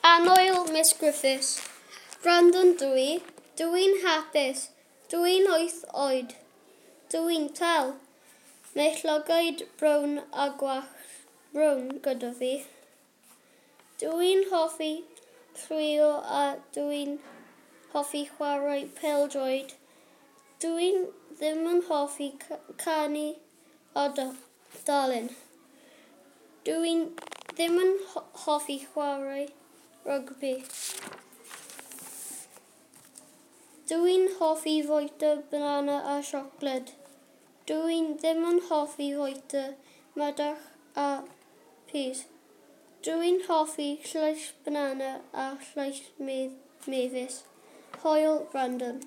Annwyl Miss Griffiths, Brandon dw i. Dw i'n hapus. Dw i'n wyth oed. Dw i'n tal. Mae llygaid brown a gwallt brown gyda fi. Dw i'n hoffi lliwio a dw i'n hoffi chwarae pêl-droed. Dw i ddim yn hoffi canu a darllen. Dw i ddim yn hoffi chwarae rygbi. Dw i'n hoffi fwyta banana a siocled. Dw i ddim yn hoffi fwyta madarch a pys. Dw i'n hoffi llais banana a llais mefus. Hwyl, Brandon.